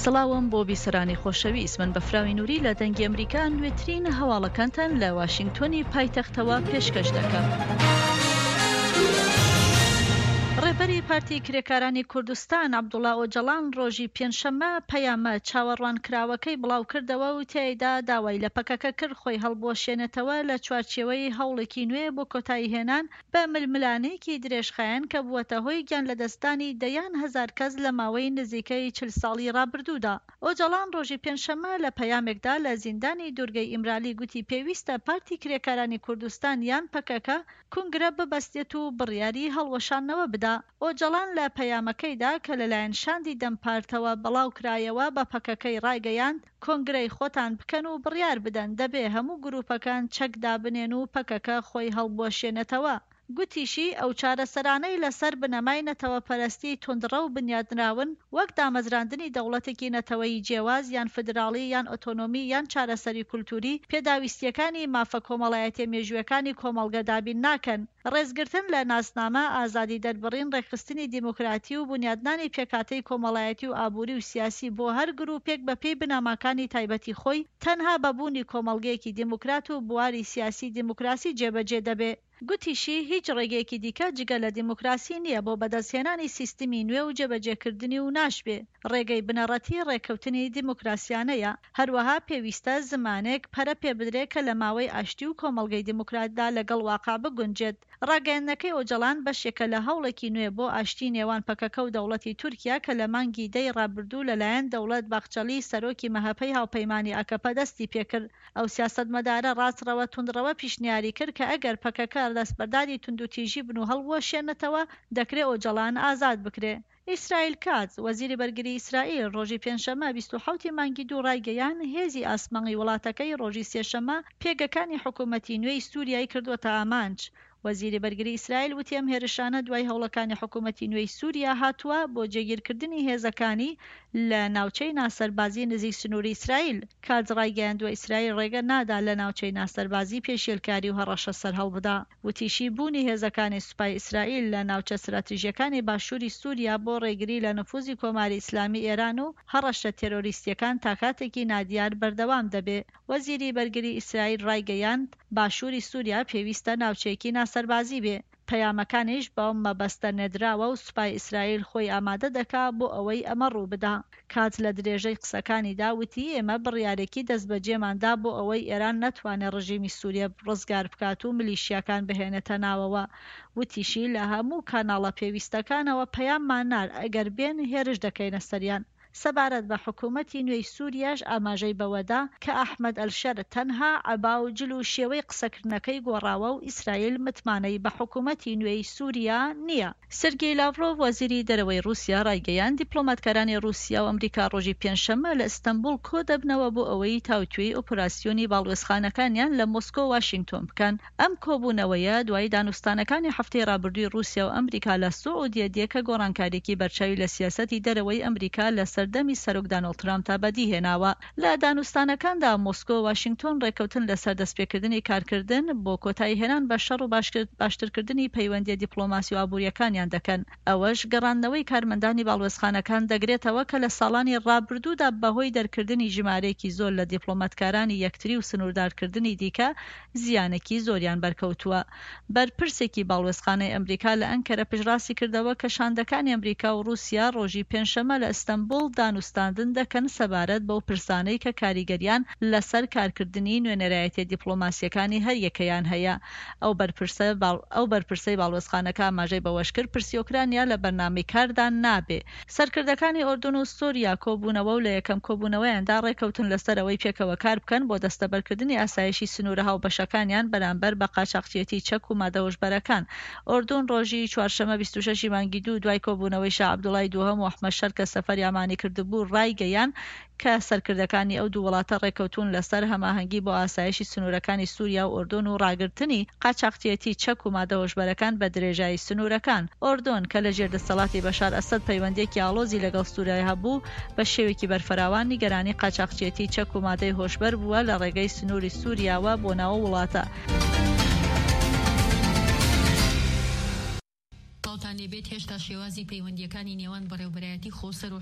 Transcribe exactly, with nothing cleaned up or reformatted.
سڵاوم بۆ بیسەرانی خۆشەویست، من بەفراوی نوری لە دەنگی ئەمریکا نوێترین هەواڵەکانتان لە واشینگتۆنی پایتەختەوە پێشکەش دەکەم. ڕێبەری پارتی کرێکارانی کوردستان عەبدوڵا ئۆجەڵان ڕۆژی پێنجشەممە پەیامە چاوەڕوانکراوەکەی بڵاوکردەوە و تیایدا داوای لە پەکەکە کرد خۆی هەڵبوەشێنێتەوە لە چوارچێوەی هەوڵێکی نوێ بۆ کۆتاییهێنان بە ململانێیەکی درێژخایەن کە بووەتە هۆی گیانلەدەستدانی دەیان هەزار کەس لە ماوەی نزیکەی چل ساڵی ڕابردوودا. ئۆجەڵان ڕۆژی پێنجشەممە لە پەیامێکدا لە زیندانی دوورگەی ئیمرالی گوتی پێویستە پارتی کرێکارانی کوردستان یان پەکەکە کونگرە ببەستێت و بڕیاری هەڵوەشاندنەوە بدا. ئۆجەڵان لە پەیامەکەیدا کە لەلایەن شاندی دەم پارتەوە بڵاوکرایەوە بە پەکەکەی ڕایگەیاند، کۆنگرەی خۆتان بکەن و بڕیار بدەن، دەبێ هەموو گروپەکان چەک دابنێن و پەکەکە خۆی هەڵبوەشێنێتەوە. گوتیشی، ئەو چارەسەرانەی لەسەر بنەمای نەتەوەپەرستی توندڕەو بنیادنراون، وەک دامەزراندنی دەوڵەتێکی نەتەوەیی جیاواز یان فیدراڵی یان ئۆتۆنۆمی یان چارەسەری کولتووری، پێداویستییەکانی مافە کۆمەڵایەتییە مێژوویەکانی کۆمەڵگە دابین ناکەن. ڕێزگرتن لە ناسنامە، ئازادی دەربڕین، ڕێکخستنی دیموکراتی و بونیادنانی پێکهاتەی کۆمەڵایەتی و ئابووری و سیاسی بۆ هەر گرووپێک بەپێی بنەماکانی تایبەتی خۆی، تەنها بە بوونی کۆمەڵگەیەکی دیموکرات و بواری سیاسی دیموکراسی جێبەجێ دەبێ. گوتیشی، هیچ ڕێگەیەکی دیکە جگە لە دیموکراسی نییە بۆ بەدەستهێنانی سیستمی نوێ و جێبەجێکردنی و ناشبێ ڕێگەی بنەڕەتی ڕێککەوتنی دیموکراسیانەیە. هەروەها پێویستە زمانێک پەرە پێبدرێ کە لە ماوەی ئاشتی و کۆمەڵگەی دیموکراتدا لەگەڵ واقع بگونجێت. ڕاگەیاندنەکەی ئۆجەڵان بەشێکە لە هەوڵێکی نوێ بۆ ئاشتی نێوان پەکەکە و دەوڵەتی تورکیا کە لە مانگی دەی ڕابردوو لەلایەن دەوڵەت باخچەلی سەرۆکی مەهەپەی هاوپەیمانی ئاکەپە دەستی پێکرد. ئەو سیاسەتمەدارە ڕاستڕەوە توندڕەوە پیشنیاری کرد کە ئەگەر پەکەکە دەستبەرداری توندوتیژی بن و هەڵبوەشێنێتەوە، دەکرێ ئۆجەڵان ئازاد بکرێ. ئیسرائیل کاتز، وەزیری بەرگری ئیسرائیل ڕۆژی پێنجشەممە بیست و حەوت ی مانگی دوو ڕایگەیاند، هێزی ئاسمانی وڵاتەکەی ڕۆژی سێشەممە پێگەکانی حکومەتی نوێی سوریای کردووەتە ئامانج. وەزیری بەرگری ئیسرائیل وتی ئەم هێرشانە دوای هەوڵەکانی حکومەتی نوێی سوریا هاتووە بۆ جێگیرکردنی هێزەکانی لە ناوچەی ناسەربازی نزیک سنووری ئیسرائیل. کاتز ڕایگەیاندووە ئیسرائیل ڕێگە نادا لە ناوچەی ناسەربازی پێشێلکاری و هەڕەشە سەرهەڵبدا. وتیشی بوونی هێزەکانی سوپای ئیسرائیل لە ناوچە ستراتیژییەکانی باشووری سوریا بۆ ڕێگری لە نفوزی کۆماری ئیسلامی ئێران و هەڕەشە تێرۆریستییەکان تا کاتێکی نادیار بەردەوام دەبێ. وەزیری بەرگری ئیسرائیل ڕایگەیاند، باشووری سووریا پێویستە ناوچەیەکی ناسەربازی بێ، پەیامەکانیش بەم مەبەستە نێردراوە و سوپای ئیسرائیل خۆی ئامادە دەکا بۆ ئەوەی ئەمە ڕووبدا. کاتز لە درێژەی قسەکانیدا وتی، ئێمە بڕیارێکی دەستبەجێمان دا بۆ ئەوەی ئێران نەتوانێ ڕژیمی سووریە ڕزگار بکات و ملیشیاکان بهێنێتە ناوەوە. وتیشی، لە هەموو کاناڵە پێویستەکانەوە پەیاممان نارد، ئەگەر بێن هێرش دەکەینە سەریان. سەبارەت بە حکومەتی نوێی سوریاش ئاماژەی بەوەدا کە ئەحمەد ئەلشەرع تەنها عەبا و جل و شێوەی قسەکردنەکەی گۆڕاوە و ئیسرائیل متمانەی بە حکومەتی نوێی سوریا نییە. سێرگی لاڤرۆڤ وەزیری دەرەوەی ڕوسیا ڕایگەیاند، دیپلۆماتکارانی ڕوسیا و ئەمریکا ڕۆژی پێنجشەممە لە ئیستەنبوڵ کۆدەبنەوە بۆ ئەوەی تاوتوێی ئۆپراسیۆنی باڵوێزخانەکانیان لە مۆسکۆ و واشینگتۆن بکەن. ئەم کۆبوونەوەیە دوای دانوستانەکانی هەفتەی ڕابردووی ڕووسیا و ئەمریکا لە سعودیە دێ کە گۆڕانکارییەکی بەرچاوی لە سیاسەتی دەرەوەی ئەمریکا لە سەردەمی سەرۆک دانۆڵد ترامپدا بەدیهێناوە. لە دانوستانەکاندا مۆسکۆ و واشینگتۆن ڕێککەوتن لەسەر دەستپێکردنی کارکردن بۆ کۆتاییهێنان بە شەڕ و باشترکردنی پەیوەندییە دیپلۆماسی و ئابوورییەکانیان دەکەن. ئەوەش گەڕاندنەوەی کارمەندانی باڵوێزخانەکان دەگرێتەوە کە لە ساڵانی ڕابردوودا بەهۆی دەرکردنی ژمارەیەکی زۆر لە دیپلۆماتکارانی یەکتری و سنووردارکردنی دیکە زیانێکی زۆریان بەرکەوتووە. بەرپرسێکی باڵوێزخانەی ئەمریکا لە ئەنکەرە پشتڕاستی کردەوە کە شاندەکانی ئەمریکا و ڕووسیا ڕۆژی پێنجشەممە لە ئیستەنبوڵ دانوستاندن دەکەن سەبارەت بەو پرسانەی کە کاریگەریان لەسەر کارکردنی نوێنەرایەتیە دیپلۆماسییەکانی هەریەکەیان هەیە. ئەو بەرپرسە ئەو بەرپرسەی باڵوێزخانەکە ئاماژەی بەوەشکرد، پرسی ئۆکرانیا لە بەرنامەی کاردا نابێ. سەرکردەکانی ئوردن و سوریا کۆبوونەوە و لە یەکەم کۆبوونەوەیاندا ڕێکەوتن لەسەر ئەوەی پێکەوە کار بکەن بۆ دەستەبەرکردنی ئاسایشی سنوورە هاوبەشەکانیان بەرامبەر بە قاچاخچیەتی چەک و مادە هۆشبەرەکان. ئوردن ڕۆژی چوارشەممە بیست و شەش ی مانگی دوو دوای کۆبوونەوەی شا عەبدوڵای دووهەم و ئەحمەد شەر کە سەفەری عەمانی کردبوو ڕایگەیاند کە سەرکردەکانی ئەو دوو وڵاتە ڕێکەوتوون لەسەر هەماهەنگی بۆ ئاسایشی سنوورەکانی سوریا و ئوردن و ڕاگرتنی قاچاخچیەتی چەک و مادە هۆشبەرەکان بە درێژایی سنوورەکان. ئوردن کە لە ژێر دەسەڵاتی بەشار ئەسەد پەیوەندییەکی ئاڵۆزی لەگەڵ سوریا هەبوو، بە شێوەیەکی بەرفراوان نیگەرانی قاچاخچیەتی چەک و مادەی هۆشبەر بووە لە ڕێگەی سنووری سوریاوە بۆ ناو وڵاتە. سڵاوتان لێبێت، هێشتا شێوازی پەیوەندییەکانی نێوان بەڕێوبەرایەتی خۆسەر و